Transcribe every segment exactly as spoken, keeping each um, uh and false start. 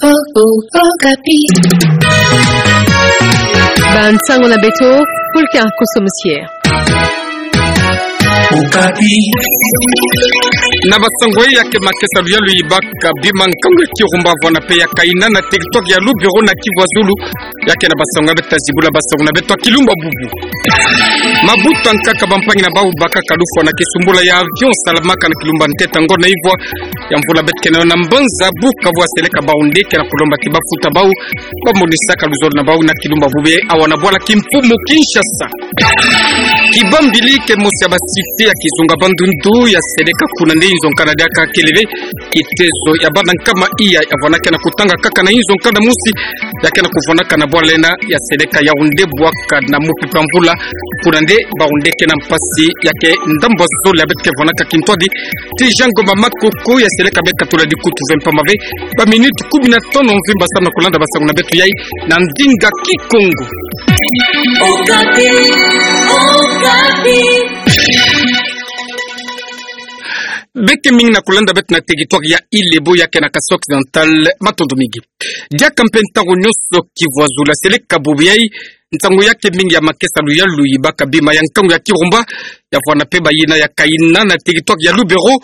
Oh, oh, Okapi. Ba nsangu na beto, Fulka Kosomusie. Okapi. Na basangu ya ke makesa luyalu yibaka bima nkangu ya Kirumba vwana pe ya Kaina na territoire ya Lubero na Kivu ya Zulu. Ya ke na basangu ya beto zibula basangu na beto ya Kilumba bubu. Mabuta nkaka bampangi na bau bakaka lufwa na kisumbula ya avion salamaka na Kilumba ntete ngo na ivwa ya mvula beto ke na yo na mbanza buka vwa seleka bau nde ke na kulomba ti bafuta bau, bamonisaka luzolo na bau na Kilumba bubu awa na bwala kimfumu Kinshasa. Kibambili ke mosi ya basite ya kizunga Bandundu ya seleka kuna nde inzo nkanda diaka keleve, kitezo ya bana nkama iya ya vwana ke na kutanga kaka na inzo nkanda mosi, ya ke na kuvwanaka na bwala ena ya seleka Yaoundé bwaka na mupepe ya mvula, kuna nde bau nde ke na mpasi ya ke ndambu ya zole ya beto ke vwanaka kintwadi, ti Jean Ngoma Makoko ya seleka beka tula dikutu ve mpamba ve, ba minute kumi na tanu mvimba samu na kulanda basangu na beto yai na ndinga Kikongo. Okapi, Okapi. Beke mingi na kulanda beto na territoire ya Ilebo ya ke na Kasai Occidental, matondo mingi. Diaka mpe ntangu nyonso Kivu ya Zulu ya seleka bubu yai, nsangu ya ke mingi ya makesa luyalu yibaka bima ya nkangu ya Kirumba, ya vwana pe ba yina ya Kaina na territoire ya Lubero,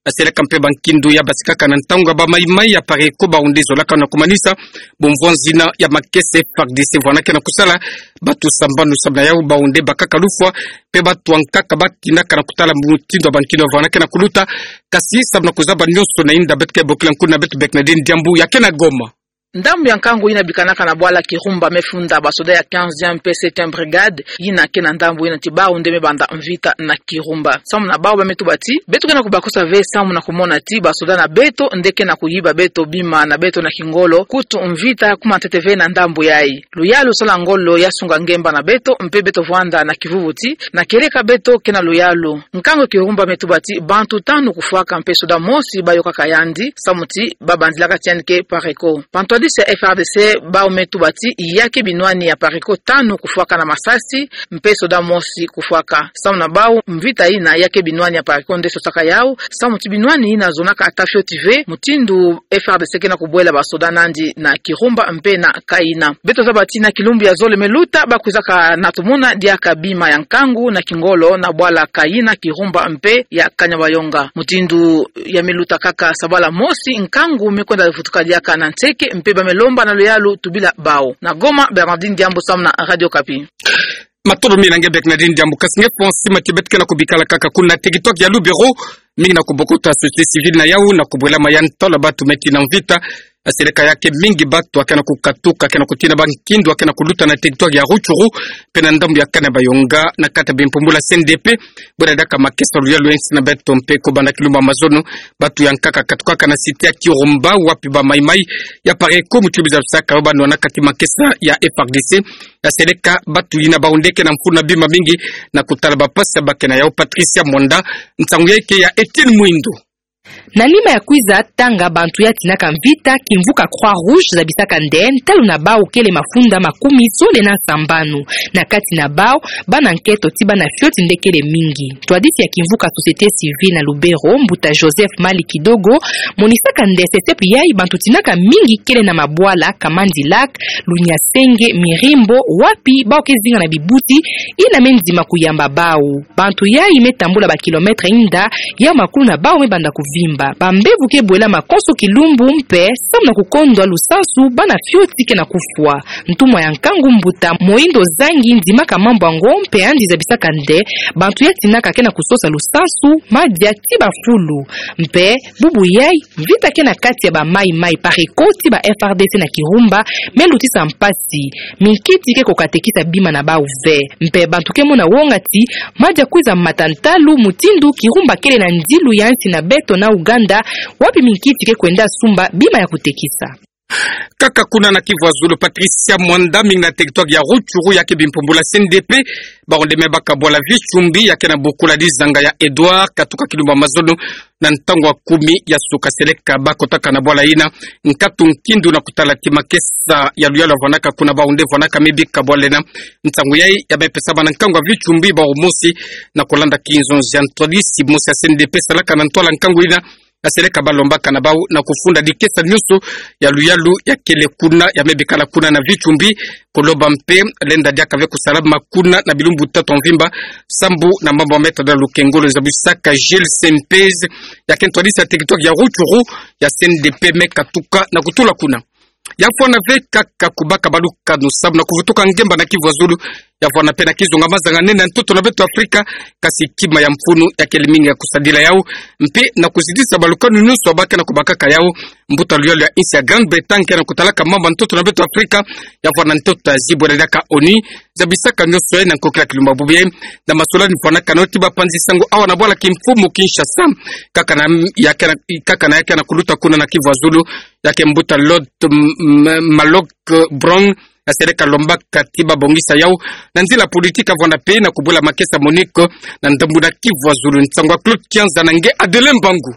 ya seleka mpe ba nkindu ya basikaka na ntangu ya ba Mai-Mai ya Pareko bau nde zolaka na kumanisa, bumvwa nzina ya makesa F A R D C vwana ke na kusala, batu sambanu samu na yau bau nde bakaka lufwa, mpe batu ankaka batinaka na kutala mutindu ya ba nkindu ya vwana ke na kuluta, kasi samu na kuzaba nyonso na inda beto ke bokila nkuna beto Bernadine Diambu ya ke na Goma. Ndambu ya nkangu yina bikanaka na bwala Kirumba me funda basoda ya quinzième mpe septième brigade, yina ke na ndambu yina ti bau nde me banda mvita na Kirumba. Samu na bau ba me tuba ti, beto ke na kubakusa ve samu na kumona ti basoda na beto nde ke na kuyiba beto bima na beto na kingolo, kutu mvita kuma ntete ve na ndambu yai. Luyalu sala ngolo ya sunga ngemba na beto, mpe beto vwanda na kivuvu ti, na kieleka beto ke na luyalu. Nkangu Kirumba me tuba ti bantu tanu kufwaka mpe soda mosi bayokaka yandi, samu ti babandilaka ti yandi ke Pareko. Bantwadisi ya F A R D C bau me tuba ti ya ke binwani ya Pareko tanu kufwaka na masasi, mpe soda mosi kufwaka. Samu na bau, mvita yina ya ke binwani ya Pareko nde sosaka yau, samu ti binwani yina zonaka ata fioti ve, mutindu F A R D C ke na kubwela basoda nandi na Kirumba mpe na Kaina. Beto zaba ti na kilumbu ya zole me luta, bakwizaka na tumona diaka bima ya nkangu na kingolo na bwala Kaina, Kirumba mpe ya Kanyabayonga. Mutindu ya me luta kaka sabala mosi, nkangu me kwenda vutuka diaka na nseke, mpe ba me lomba na luyalu tubila bau. Na Goma, Bernardine Diambu samu na Radio Okapi. Matondo mingi na nge Bernardine Diambu, kasi nge Fonsi Matibet ke na kubikala kaka kuna territoire ya Lubero, mingi na kubokota société civile na yau na kubwela ma ya ntwala batu meti na mvita, ya seleka ya ke mingi batu ya ke na kukatuka, ya ke na kutina ba nkindu ya ke na kuluta na territoire ya Rutshuru, mpe na ndambu ya Kanyabayonga, na kati ya bimpumbula C N D P, bwela diaka makesa luyalu ya insi na beto mpe ko banda kilumbu ya mazono, batu ya nkaka katukaka na cité ya Kirumba, wapi ba Mai-Mai ya Pareko mutu bizabisaka yo banwana kati makesa ya F A R D C, ya seleka batu yina bau nde ke na mfunu na bima mingi na kutala ba mpasi ya ba ke na yau. Patricia Mwanda, nsangu ya ke ya Etienne Mwindo. Na nima ya kwiza tanga bantu ya tinaka mvita, kimvuka Croix Rouge zabisaka nde ntalu na bau kele mafunda makumi zole na sambanu. Na kati na bau, bana nketo ti bana fioti nde kele mingi. Ntwadisi ya kimvuka société civile na Lubero, mbuta Joseph Mali Kidogo, monisaka nde sesepi yai bantu tinaka mingi kele na mabwala Kamandi Lac, Lunya Senge, Mirimbo, wapi bau ke zinga na bibuti yina me ndima kuyamba bau. Bantu yai me tambula ba kilomètre inda, ya makulu na bau me banda kuvimba. Bambevo ke bwela makonso kilumbu mpe, samu na kukondwa lusansu, bana fioti ke na kufwa. Ntumwa ya nkangu mbuta Moindo Zangi ndimaka mambu yango mpe yandi zabisaka nde, bantu ya tinaka ke na kusosa lusansu, madia ti bafulu. Mpe, bubu yai, mvita ke na kati ya ba Mai-Mai Pareko ti ba F A R D C na Kirumba, me lutisa mpasi. Minkiti ke ko katekisa bima na bau ve. Mpe bantu ke mona wonga ti, madia kwiza mata ntalu mutindu Kirumba kele na ndilu ya nsi na beto na Ouganda, wapi minkiti ke kwenda sumba bima ya kutekisa. Kaka kuna na Kivu ya Zulu, Patricia Mwanda, mingi na territoire ya Rutshuru ya ke bimpumbula C N D P, bau nde me baka bwala Vitsumbi ya ke na bokula dizanga ya Edouard, katuka kilumbu ya mazono, na ntangu ya kumi ya suka seleka bakotaka na bwala yina, nkatu nkindu na kutala ti makesa ya luyalu ya vwanaka kuna bau nde vwanaka me bika bwala yina. Nsangu yai ya me pesama na nkangu ya Vitsumbi bau mosi, na kulanda kinzonzi ya ntwadisi mosi ya C N D P salaka na ntwala nkangu yina, yaseleka balombaka na bau na kufunda dikesa nyonso ya luyalu yakele kuna, ya me bikala kuna na Vichumbi, kulomba mpe lenda diaka ve kusalama kuna na bilumbu tatu mvimba, sambu na mambu ya meta da lukengolo zabisaka Gilles Sempez, ya ke ntwadisi ya territoire ya Rutshuru, ya C N D P me katuka na kutula kuna. Ya fwana ve kaka kubaka balukanu samu na kuvutuka ngemba na Kivu ya Zulu, ya fwana mpe na kizunga mazanga nene ya ntoto na beto Afrika, kasi kima ya mfunu yakele mingi ya kusadila yau, mpe na kuzidisa balukanu nyonso ya ba ke na kubakaka yau. Mbuta luyalu ya insi ya Grande-Bretagne ke na kutalaka mambu ya ntoto na beto Afrika, ya fwana ntoto ya zibwela diaka ONU, zabisaka nyonso ye na nkokila kilumbu bubu ye, na masolani fwanakana yo ti bapanzi sango awa na bwala kimfumu Kinshasa, kaka na ya ke na, kaka na ya ke na kuluta kuna na Kivu ya Zulu, ya ke mbuta Lord, m-, m-, Malok Brown, yaseleka lombaka ti babongisa yau na nzila politique, ya fwana mpe na kubula makesa MONUC na ndambu na Kivu ya Zulu. Nsangu ya Claude Kianza na nge Adelin Mbangu.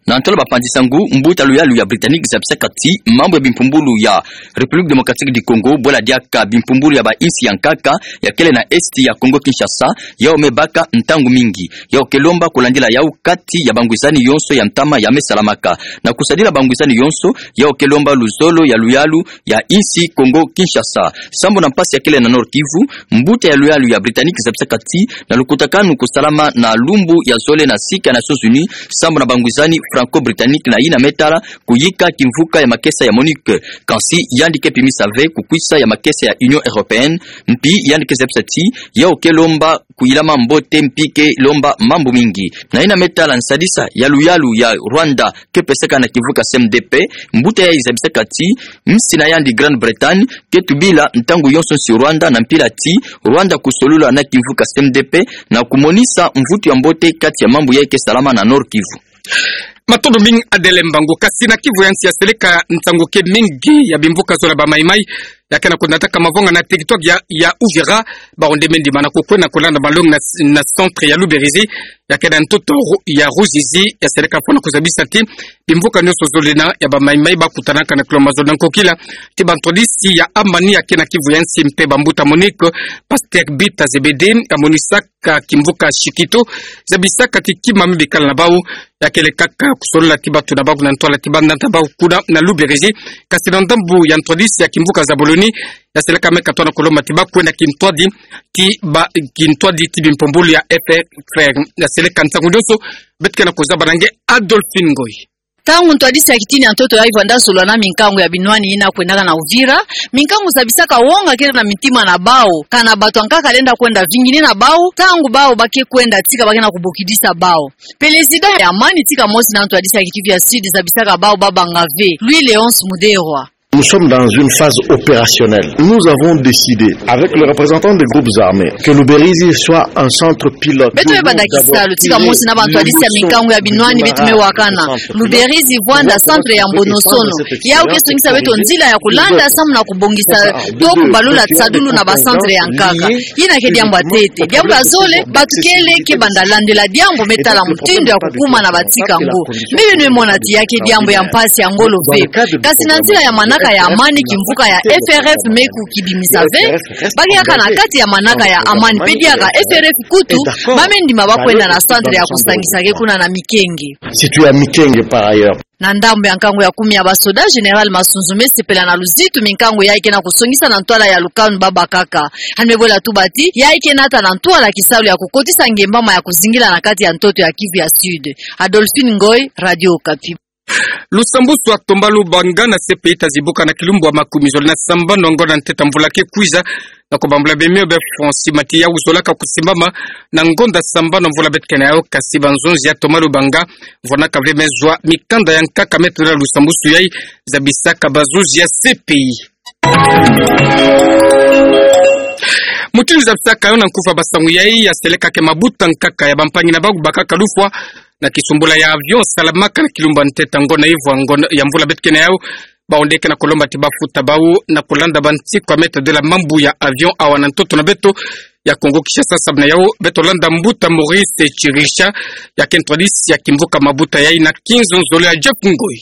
Na ntwala bapanzi sango, mbuta luyalu ya Britannique zabisaka ti mambu ya bimpumbulu ya République Démocratique du Congo, bwela diaka bimpumbulu ya bainsi ya nkaka yakele na Est ya Congo Kinshasa, yau me baka ntangu mingi. Yau ke lomba kulandila yau kati ya bangwizani yonso ya ntama ya me salamaka. Na kusadila bangwizani yonso, yau ke lomba luzolo ya luyalu ya insi Congo Kinshasa. Sambu na mpasi yakele na Nord Kivu, mbuta ya luyalu ya Britannique zabisaka ti na lukutakanu kusalama na lumbu ya zole na sika ya Nations Unies, sambu na bangwizani Franco-Britannique na yina me tala kuyika kimvuka ya makesa ya MONUC. Kansi yandi ke pimisa ve kukwisa ya makesa ya Union Européenne, mpi yandi ke zabisa ti yau ke lomba kuyilama mbote mpi ke lomba mambu mingi. Na yina me tala nsadisa ya luyalu ya Rwanda ke pesaka na kimvuka C M D P, mbuta yayi zabisaka ti nsi na yandi Grande-Bretagne ke tubila ntangu yonso nsi Rwanda na mpila ti Rwanda kusolula na kimvuka C M D P na kumonisa mvutu ya mbote kati ya mambu yayi ke salama na Nord Kivu. Matondo mingi Adelin Mbangu. Kasi na Kivu ya nsi yaseleka ntangu ke mingi ya bimvuka zola ba Mai Mai ya ke na kunataka mavonga na territoire ya, ya Uvira, bawu nde me ndima na kukwenda kulanda malongi na, na centre ya Luberizi, ya ke na ntoto ru-, ya Ruzizi, yaseleka fwana kuzabisa ti bimvuka nyonso zole na ya ba Mai Mai bakutanaka na kilo mazono na nkokila ti bantwadisi ya amani ya ke na Kivu ya nsi mpe bambuta MONUC, Pasteur Bita Zebede, amonisaka ka kimvuka Shikito, zabisaka ti kima me bikala na bau, yakele kaka kusolola ti batu na bau na ntwala ti banda na bau kuna na Luberizi, kasi na ndambu ya ntwadisi ya kimvuka Zaboloni, yaseleka me katona kolomba ti bakwenda kintwadi, ti ba, kintwadi ti bimpumbulu ya F F R, yaseleka ntangu nyonso, beto ke na kuzaba na nge Adolphine Ngoy. Ntangu ntwadisi ya kitini ya ntoto yayi vwanda zolwa na minkangu ya binwani yina kwendaka na Uvira, minkangu zabisaka wonga kele na mitima na bau, kana batu ya nkaka lenda kwenda vingini na bau, ntangu bau ba ke kwenda tika ba ke na kubokidisa bau. Pelezida ya amani tika mosi na ntwadisi ya Kivu ya Sud zabisaka bau babanga ve. Louis Léonce Muderwa. Nous sommes dans une phase opérationnelle. Nous avons décidé, avec les représentants des groupes armés, que Luberizi soit un centre pilote. Beto me banda kisalu tika mosi na bantwadisi ya minkangu ya binwani beto me wakana. Luberizi vwanda centre ya mbonosono. Yau ke songisa beto nzila ya kulanda samu na kubongisa to kubalula tisadulu na ba centre ya nkaka. Yina ke diambu ya ntete. Diambu ya zole, batu kele ke banda landila diambu me tala mutindu ya kukuma na batika ngo. Mpe beno me mona ti ya ke diambu ya mpasi ya ngolo ve. Kasi na nzila ya manaka ya amani kimvuka ya F R F me kukibimisa ve. Ba ke kaka na kati ya manaka ya amani mpe diaka F R F kutu, ba me ndima bakwenda na centre ya kusangisa ke kuna na Mikenge. Situé à Mikenge par ailleurs. Na ndambu ya nkangu ya kumi ya basoda, Général Masunzu me sepela na luzitu minkangu yayi ke na kusongisa na ntwala ya lukanu babakaka. Yandi me bwela tuba ti, yayi ke nata na ntwala kisalu ya kukotisa ngembama ya kuzingila na kati ya ntoto ya Kivu ya Sud. Adolphine Ngoy, Radio Okapi. Lusambwasu ya Tomba Lubanga na C P I tazibuka na kilumbu ya makumi zole na sambanu ya ngonda ya ntete ya mvula ke kwiza, na kubambula bemio bia Francis Matiya, uzolaka kusimbama na ngonda sambanu ya mvula beto ke na yau, kasi banzonzi ya Tomba Lubanga vwanaka ve me zwa mikanda ya nkaka me tadila lusambwasu yayi, zabisaka banzonzi ya C P I. Mutindu zabisaka yo na nkufa basangu yayi, yaseleka ke mabuta nkaka ya bampangi na bau bakaka lufwa na kisumbula ya avion salamaka na kilumbu ya ntete ya ngonda ivwa ngonda ya mvula beto ke na yau. Bau nde ke na kulomba ti bafuta bau na kulanda bantiku ya me tadila mambu ya avion awa na ntoto na beto ya Kongo Kinshasa. Samu na yau beto landa mbuta Maurice Chirisha, ya ke ntwadisi ya kimvuka mabuta yayi na kinzonzolo ya Jeff Ngoy.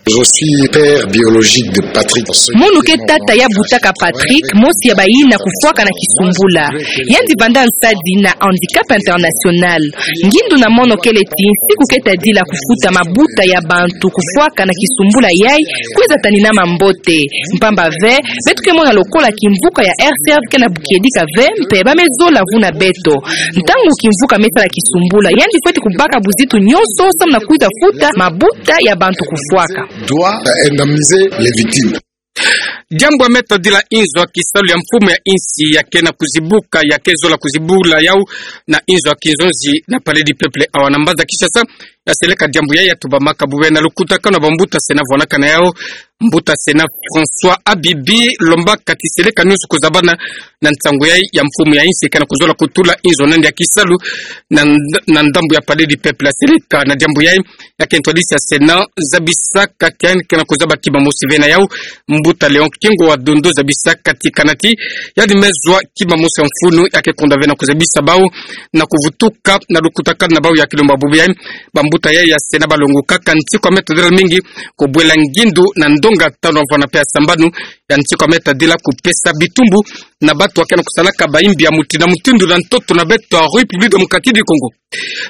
Je suis père biologique de Patrick. Mono ke tata ya butaka Patrick, mosi ya bayina kufwaka na kisumbula. Yandi vanda nsadi na Handicap International. Ngindu na mono kele ti nsiku ke tadila kufuta mabuta ya bantu kufwaka na kisumbula yayi, kwiza tanina mambote. Mpamba ve, beto ke mona lokola kimvuka ya R C R ke na bukiedika ve, mpe ba me zola vuna beto. Ntangu kimvuka me sala kisumbula, yandi fweti kubaka buzitu nyonso samu na kwiza futa mabuta ya bantu kufwaka. Doit indemniser les victimes. Diambu ya me tadila inzo ya kisalu ya mfumu ya insi ya ke na kuzibuka, ya ke zola kuzibula yawu na inzo ya kinzonzi na Palais du Peuple awa na mbanza Kinshasa, ya seleka diambu yayi ya tubamaka bubu yayi na lukutakanu ya bambuta Sénat vwanaka na yawu. Mbuta Sénat François Abibi lombaka ti seleka nyonso kuzabana na nsangu yayi ya mfumu ya insi ke na kuzola kutula inzo na yandi ya kisalu na nd-, na ndambu ya Palais du Peuple. Ya seleka na diambu yayi, ya ke ntwadisi ya Sénat zabisaka ti yandi ke na kuzaba kima mosi ve na yawu. Mbuta Léon Kingo wa Dondo zabisaka ti kana ti yandi me zwa kima mosi ya mfunu, ya ke konda ve na kuzabisa bawu na kuvutuka na lukutakanu na bawu. Ya ke lomba bubu yayi, bambuta yayi ya Sénat balongokaka nsiku ya me tadila mingi kubwela ngindu na ndonga tanu ya mvwama mpe ya sambanu, ya nsiku ya me tadila kupesa bitumbu na bantu ya ke na kusalaka bayimbi ya mutindu na mutindu na ntoto na beto ya République Démocratique du Congo.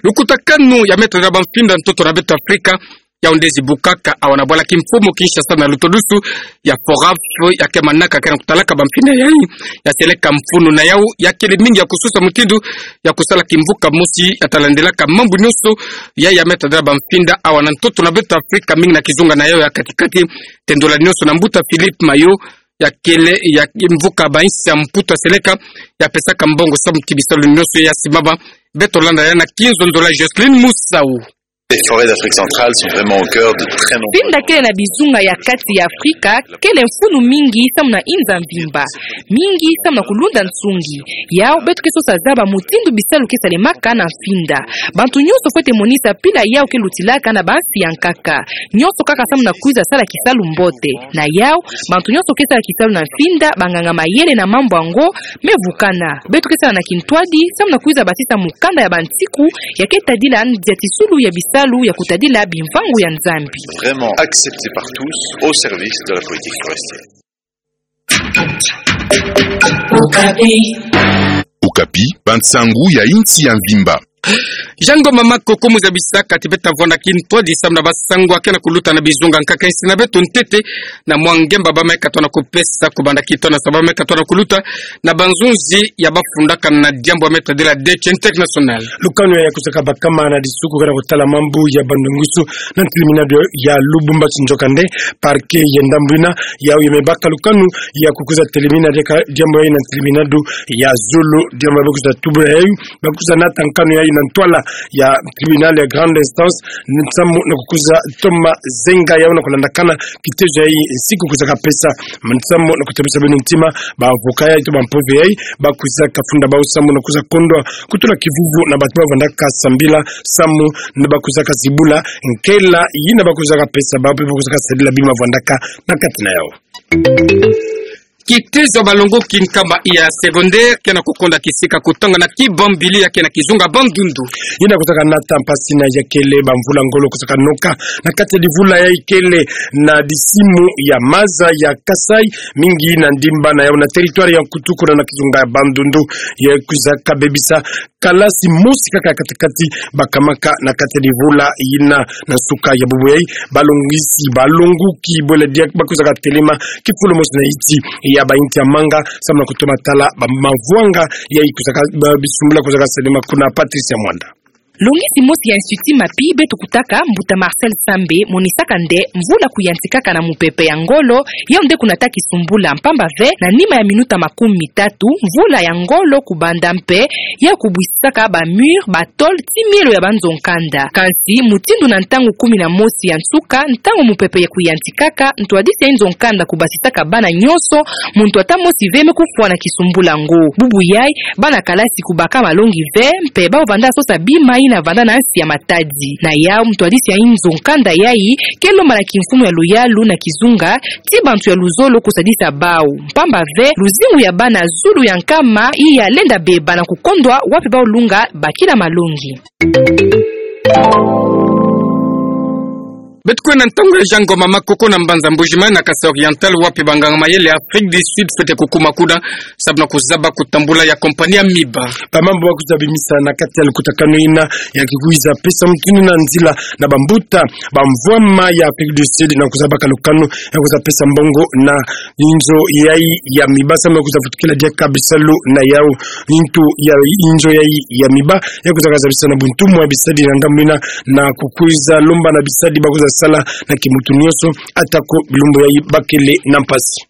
Lukutakanu ya me tadila bamfinda ntoto na beto ya Afrika, yawu nde zibukaka awa na bwala kimfumu Kinshasa na lutodusu ya FORAF, ya ke manaka ke na kutalaka bamfinda yayi. Ya seleka mfunu na yawu, ya kele mingi ya kusosa mutindu ya kusala kimvuka mosi ya talandelaka mambu nyonso. Yayi ya me tadila bamfinda awa na ntoto na beto ya Afrika, mingi na kizunga na yawu ya kati-kati. Tendola nyonso na mbuta Philippe Mayo, ya kele ya kimvuka ba insi ya Mputu, ya seleka, ya pesaka mbongo samu ti bisalu nyonso ya simama. Beto landa yawu na kinzonzolo ya Jocelyne Musau. Les forêts d'Afrique centrale sont vraiment au cœur de très nombreux. Mfinda kele na bizunga ya kati ya Afrika, kele mfunu mingi samu na inza mvimba, mingi samu na kulunda nsungi. Yawu beto ke sosa zaba mutindu bisalu ke salemaka na mfinda. Bantu nyonso fwete monisa mpila yawu ke lutilaka na bansi ya nkaka. Nyonso kaka samu na kwiza sala kisalu mbote. Na yawu, bantu nyonso ke sala kisalu na mfinda, banganga mayele na mambu yango me vukana. Beto ke sala na kintwadi samu na kwiza basisa mukanda ya bansiku ya ke tadila nziatisulu ya bisalu ya kutadila bimvangu ya Nzambi. Vraiment accepté par tous, au service de la politique forestière. Okapi. Okapi, bansangu ya insi ya mvimba. Jean Ngoma Makoko mu zabisaka ti beta vwanda kintwadi samu na bansangu ya ke na kuluta na bizunga nkaka insi na beto ntete, na mwa ngemba ba me katuka na kupesa kubanda kintwadi na sa ba me katuka na kuluta na banzonzi ya bafundaka na diambu ya me tadila Deuil international. Lukanu ya kusaka bakama na disuku ke na kutala mambu ya bandungusu na ntilimina ya Lubumbashi, nzoka nde parquet ya ndambu yina, yawu ya me baka lukanu ya kukwiza telimina diaka diambu yayi na ntilimina ya zulu, diambu ya ba kwiza tubula yayi, ba kwiza nata nkanu yayi na ntwala ya tribunal ya grande instance, nsamu na kukwiza toma zenga yawu na kulandakana kitezo yayi nsiku kwizaka pesa. Nsamu na kutebisa beno ntima, ba avocat yayi to ba mpove yayi, ba kwizaka funda bawu samu na kwiza kondwa kutula kivuvu na bantu ba vandaka sambila, samu na ba kwizaka zibula nkela yina ba kwizaka pesa bawu mpe ba kwizaka sadila bima vandaka na kati na yawu. Kitezo ya balongoki nkama ya secondaire ke na kukonda kisika kutanga na Kibambili ya ke na kizunga Bandundu. Yina kwizaka nata mpasi yina ya kele bamvula ngolo kwizaka noka na kati ya divula yayi kele na disimu ya maza ya Kasaï, mingi na ndimba na yawu na territoire ya Nkutu kuna na kizunga ya Bandundu. Ya kwizaka bebisa kalasi mosi kaka ya kati-kati bakamaka na kati ya divula yina. Na nsuka ya bubu yayi, balongisi, balongoki bwele diaka ba kwizaka telema kifulu mosi na yiti ya ba inti ya manga samu na kutoma tala ba mavwanga yayi kwizaka, ba bisumbula kwizaka selema kuna. Patricia Mwanda. Longisi mosi ya Institut Mapi beto kutaka, mbuta Marcel Sambe, monisaka nde mvula kuyantikaka na mupepe ya ngolo, yawu nde kunata kisumbula, mpamba ve na nima ya minuta makumi mitatu, mvula ya ngolo kubanda mpe yawu kubwisisaka ba mur, ba tôle, ti mielo ya banzo nkanda. Kansi mutindu na ntangu kumi na mosi ya nsuka, ntangu mupepe ya kuyantikaka, ntwadisi ya inzo nkanda kubasisaka bana nyonso, muntu ata mosi ve me kufwa na kisumbula yango. Bubu yayi, bana kalasi kubaka malongi ve, mpe bawu vanda sosa bima yina vanda na nsi ya matadi. Na yawu, ntwadisi ya inzo nkanda yayi ke lomba na kimfumu ya luyalu na kizunga ti bantu ya luzolo kusadisa bawu, mpamba ve luzingu ya bana zulu ya nkama iya lenda beba na kukondwa wapi bawu lunga bakila malongi. Beto kwenda na ntangu ya Jean Ngoma Makoko na mbanza Mbuji-Mayi na Kasaï Oriental, wapi banganga mayele ya Afrique du Sud fwete kukuma kuna sababu na kuzaba kutambula ya compagnie ya miba. Bamambu ba kwiza bimisa na kati ya lukutakanu yina ya kikwiza pesa mutuni na nzila na bambuta bamvwama ya Afrique du Sud na kuzaba kalukanu ya kwiza pesa mbongo na inzo yayi ya miba sababu na kwiza vutukila diaka bisalu na yawu. Nitu ya inzo yayi ya miba ya kwiza kazabisa na buntumwa bisadi na ndambu yina na kukwiza lomba na bisadi ba kwiza sala na kimutu nyonso, atako bilumbu yayi bakele na mpasi.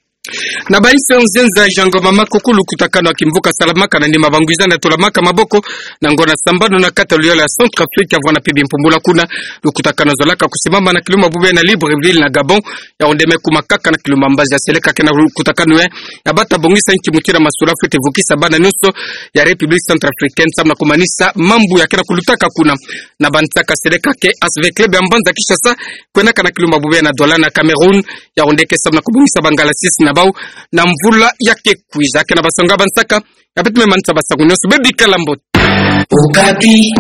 Na bainsi ya nzenza, Jean Ngoma Makoko, lukutakanu ya kimvuka salamaka na nima bangwizani ya tolamaka maboko na ngonda sambanu na kati ya luyolo ya Centrafrique, ya vwanda mpe bimpumbula kuna. Lukutakanu ya zolaka kusimama na kilumbu ya bubu yayi na Libreville na Gabon, ya onde me kuma kaka na kilumbu ya mbazi. Ya seleka ke na lukutakanu yayi, ya bata bongisa nki mutindu ya masolo fwete vukisa bana nyonso ya République centrafricaine sababu na kumanisa mambu ya ke na kulutaka kuna. Na bansaka seleka ke asve club ya mbanza Kinshasa kwendaka na kilumbu ya bubu yayi na Douala na Cameroun, ya onde ke sababu na kubongisa ba ngalasisi na bawu na mvula ya ke kwiza. Ke na basango ya bansaka, ya beto me manisa basango nyonso, bebikala mbote. Okapi.